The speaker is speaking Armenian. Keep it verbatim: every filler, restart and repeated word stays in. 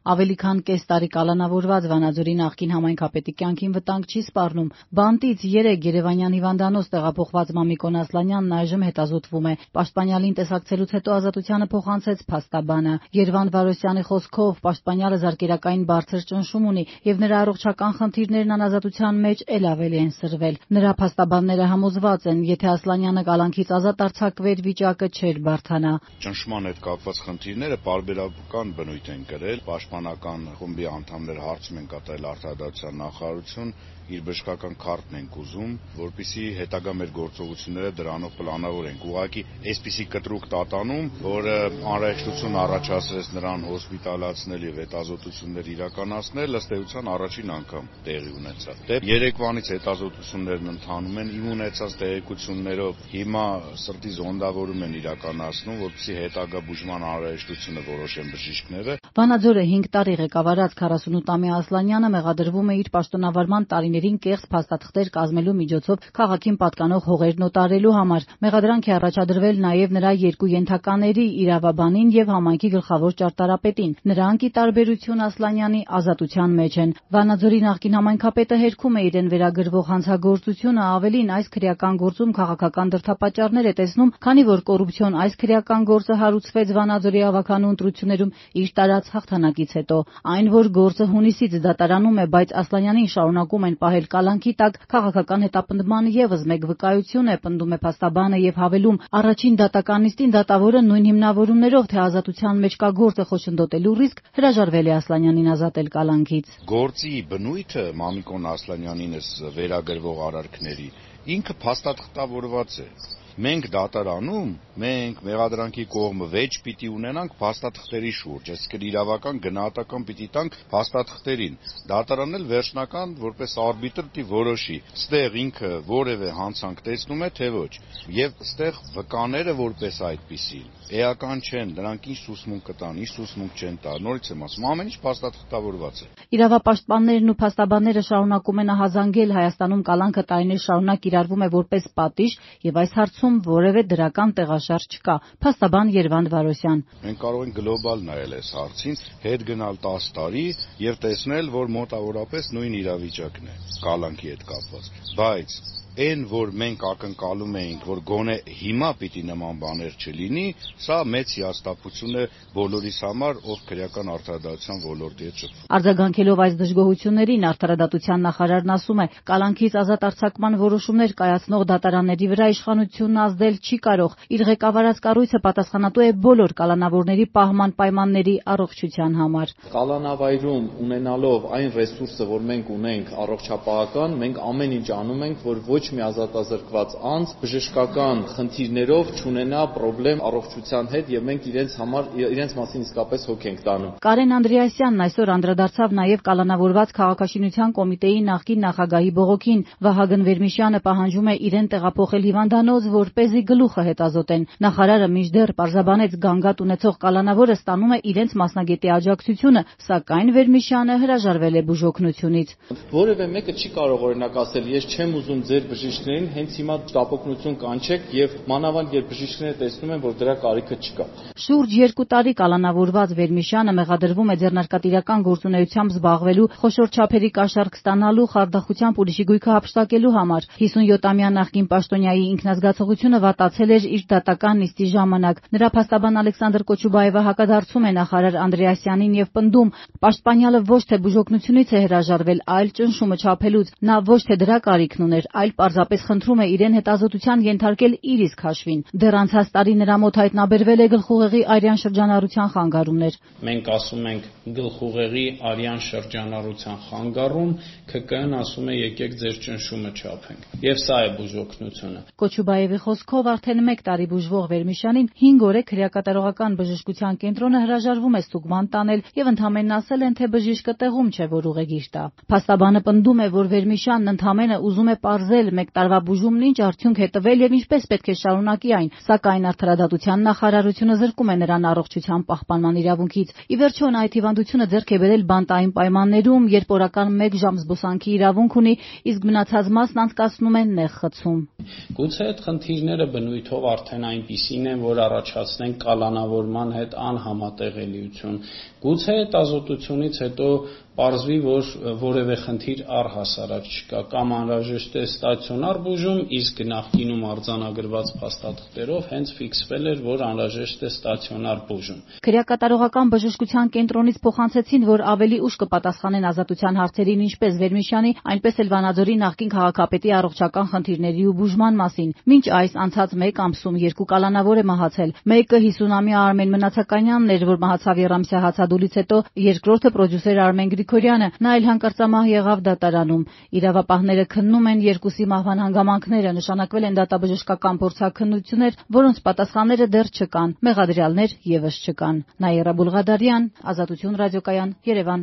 Ավելի քան կես տարի կալանավորված Վանաձորի նախկին համայնքապետի կյանքին վտանգ չի սպառնում։ Բանտից երեկ Երևանյան հիվանդանոց տեղափոխված Մամիկոն Ասլանյանն այժմ հետազոտվում է։ Պաշտպանյալին տեսակցելուց հետո ազատությանը փոխանցեց փաստաբանը։ Երվանդ Վարոսյանի խոսքով պաշտպանյալը զարկերակային բարձր ճնշում ունի եւ նրա առողջական խնդիրներն անազատության մեջ էլ ավելի են սրվել։ Նրա փաստաբանները համոզված են, եթե Ասլանյանը կալանքից ազատ արձակվեր, վիճակը չէր բարդանա։ Ճնշման հետ կապված խնդիրները պարբերական բնույթ են կրել։ Պաշտպանական խմբի անդամները հարցում են կատարել արտադրության նախարարություն, իր բժշկական քարտն ենք ուզում, որպեսզի հետագա մեր գործողությունները դրանով պլանավորենք։ Ուղղակի այսպիսի կտրուկ տատանում, որը անհրաժեշտություն առաջացրեց նրան հոսպիտալացնել եւ հետազոտություններ իրականացնել, ըստ էության առաջին անգամ տեղի ունեցավ։ Դե երեկվանից հետազոտություններն ընթանում են, իմ ունեցած տեղեկություններով հիմա սրտի զոնդավորում են իրականացնում, որպեսզի հետագա բուժման անհրաժեշտությունը որոշեն բժիշկները։ Վանաձորը հինգ տարի ղեկավարած քառասունութամյա Ասլանյանը մեղադրվում է իր պաշտոնավարման տարիներին կեղծ փաստաթղթեր կազմելու միջոցով քաղաքին պատկանող հողերն օտարելու համար։ Մեղադրանք է առաջադրվել նաև նրա երկու ենթակաների՝ իրավաբանին եւ համայնքի գլխավոր ճարտարապետին։ Նրանք, ի տարբերություն Ասլանյանի, ազատության մեջ են։ Վանաձորի նախկին համայնքապետը հերքում է իրեն վերագրվող հանցագործությունը, ավելին այս քրեական գործում քաղաքական դրդապատճառներ է տեսնում, քանի որ կոռուպցիոն այս քրեական գործը հարուցվեց Վանաձորի ավականու ընտրություններում իր տարած հաղթանակից հետո։ Այն, որ գործը հունիսից դատարանում է, բայց Ասլանյանին շարունակում են պահել կալանքի տակ, քաղաքական հետապնդման եւս մեկ վկայություն է, պնդում է փաստաբանը եւ հավելում, առաջին դատական նիստին դատավորը նույն հիմնավորումներով, թե ազատության մեջ կա գործը խոչընդոտելու ռիսկ, հրաժարվել է Ասլանյանին ազատել կալանքից։ Գործի բնույթը Մամիկոն Ասլանյանինս վերագրվող արարքների ինքը փաստաթղթավորված է։ Մենք դատարանում, մենք մեղադրանքի կողմը վեճ պիտի ունենանք փաստաթղթերի շուրջ, այսինքն իրավական գնահատական պիտի տանք փաստաթղթերին։ Դատարանն էլ վերջնական որպես արբիտր պիտի որոշի, ստեղ ինքը որևէ հանցանք տեսնում է, թե ոչ։ Եվ ստեղ վկաները որպես այդպիսի էական չեն, նրանք ինչ սուսմունք կտան, ինչ սուսմունք չեն տա։ Նորից եմ ասում, ամեն ինչ փաստաթղթավորված է։ Իրավապաշտպաններն ու փաստաբանները շարունակում են ահազանգել Հայաստանում կալանքը տարիներ շարունակ կիրառվում է որպես պատիժ եւ այս հարցում որևէ դրական տեղաշարժ չկա։ Փաստաբան Երվանդ Վարոսյան։ Մենք կարող ենք գլոբալ նայել այս հարցին, հետ գնալ տասը տարի եւ տեսնել, որ մոտավորապես նույն իրավիճակն է կալանքի հետ կապված։ Բայց այն, որ մենք ակնկալում էինք, որ գոնե հիմա պիտի նման բաներ չլինի, սա մեծ հիասթափություն է բոլորիս համար, ով քրեական արդարադատության ոլորտի հետ շփվում։ Արձագանքելով այս դժգոհություններին, արդարադատության նախարարն ասում է, կալանքից ազատ արձակման որոշումներ կայացնող դատարանների վրա իշխանությունն ազդել չի կարող։ Իր ղեկավարած կառույցը պատասխանատու է բոլոր կալանավորների պահման պայմանների առողջության համար։ Կալանավայրում ունենալով այն ռեսուրսը, որ մենք ունենք առողջապահական, մենք ամեն ինչ անում ենք, որ ոչ մի ազատազրկված անձ բժշկական խնդիրներով չունենա խնդրեմ առողջության հետ եւ մենք իրենց համար իրենց մասին իսկապես հոգ ենք տանում։ Կարեն Անդրեասյանն այսօր անդրադարձավ նաեւ կալանավորված քաղաքաշինության կոմիտեի նախկին նախագահի բողոքին։ Վահագն Վերմիշյանը պահանջում է իրեն տեղափոխել հիվանդանոց, որպեսզի գլուխը հետազոտեն։ Նախարարը մինչդեռ պարզաբանեց գանգատ ունեցող կալանավորը ստանում է իրենց մասնագետի աջակցությունը, սակայն Վերմիշյանը հրաժարվել է բուժօգնությունից։ Որևէ մեկը չի կարող օրինակ ասել, ես չեմ ուզում ձեր բժիշկներին հենց հիմա տապօգնություն կանչեք եւ մանավանդ երբ բժիշկները տեսնում են, որ դրա կարիքը չկա։ Շուրջ երկու տարի կալանավորված Վերմիշյանը մեղադրվում է ձեռնարկատիրական գործունեությամբ զբաղվելու, խոշոր չափերի կաշառք ստանալու, խարդախությամբ ուրիշի գույքը հափշտակելու համար։ հիսունյոթամյա նախկին պաշտոնյայի ինքնազգացողությունը վատացել էր իր դատական նիստի ժամանակ։ Նրա փաստաբան Ալեքսանդր Կոչուբաևը հակադարձում է նախարար Անդրեասյանին եւ պնդում, պաշտպանյալը ոչ թե բուժօգնությունից է հրաժարվել, այլ ճնշումը չափելուց։ Նա ոչ թե դրա կարիքն ուներ, այլ պարզապես խնդրում է իրեն հետազոտության ենթարկել իր իսկ հաշվին։ Դեռ անցած տարի նրա մոտ հայտնաբերվել է գլխուղեղի արյան շրջանառության խանգարումներ։ Մենք ասում ենք գլխուղեղի արյան շրջանառության խանգարում, ՔԿ-ն ասում է եկեք ձեր ճնշումը չափենք։ Եվ սա է բուժօգնությունը։ Կոչուբաևի խոսքով արդեն մեկ տարի բուժվող Վերմիշյանին հինգ օր է քրեակատարողական բժշկության կենտրոնը հրաժարվում է ստուգման տանել եւ ընդհանրեն ասել են, թե բժիշկը տեղում չէ, որ ուղեգիր տա։ Փաստաբանը պնդում է, որ Վերմիշյանն ընդհանրեն ուզում է պարզել մեկ տարվա բուժումն ինչ արդյունք է տվել եւ ինչպես պետք է շարունակի այն, սակայն արդարադատության նախարարությունը զրկում է նրան առողջության պահպանման իրավունքից։ Ի վերջո նա այդ հիվանդությունը ձեռք է բերել բանտային պայմաններում, երբ օրական մեկ ժամ զբոսանքի իրավունք ունի, իսկ մնացած մասն անցկացնում է նեղ խցում։ Գուցե այդ խնդիրները բնույթով արդեն այնպիսին են, որ առաջացնեն կալանավորման հետ անհամատեղելիություն։ Գուցե այդ ազատությունից հետո պարզվի, որ որևէ խնդիր առհասարակ չկա, կամ անհրաժեշտ է ստացիոնար բուժում, իսկ նախկինում արձանագրված փաստաթղթերով հենց ֆիքսվել էր, որ անհրաժեշտ է ստացիոնար բուժում։ Քրեակատարողական բժշկության կենտրոնից փոխանցեցին, որ ավելի ուշ կպատասխանեն ազատության հարցերին ինչպես Վերմիշյանի, այնպես էլ Վանաձորի նախկին քաղաքապետի առողջական խնդիրների ու բուժման մասին։ Մինչ այս անցած մեկ ամսում երկու կալանավոր է մահացել։ Մեկը հիսունամյա Արմեն Մնացականյանն էր, որ մահացավ եռամսյա հացադուլից հետո, երկրորդը պրոդյուսեր Արմեն Գրիգորյանը, նա էլ հանկարծամահ եղավ դատարանում։ Իրավապահները քննում են երկուսի մահվան հանգամանքները, նշանակվել են դատաբժշկական փորձաքննություններ, որոնց պատասխանները դեռ չկան, մեղադրյալներ եւս չկան։ Նաիրա Բուլղադարյան, Ազատություն ռադիոկայան, Երևան։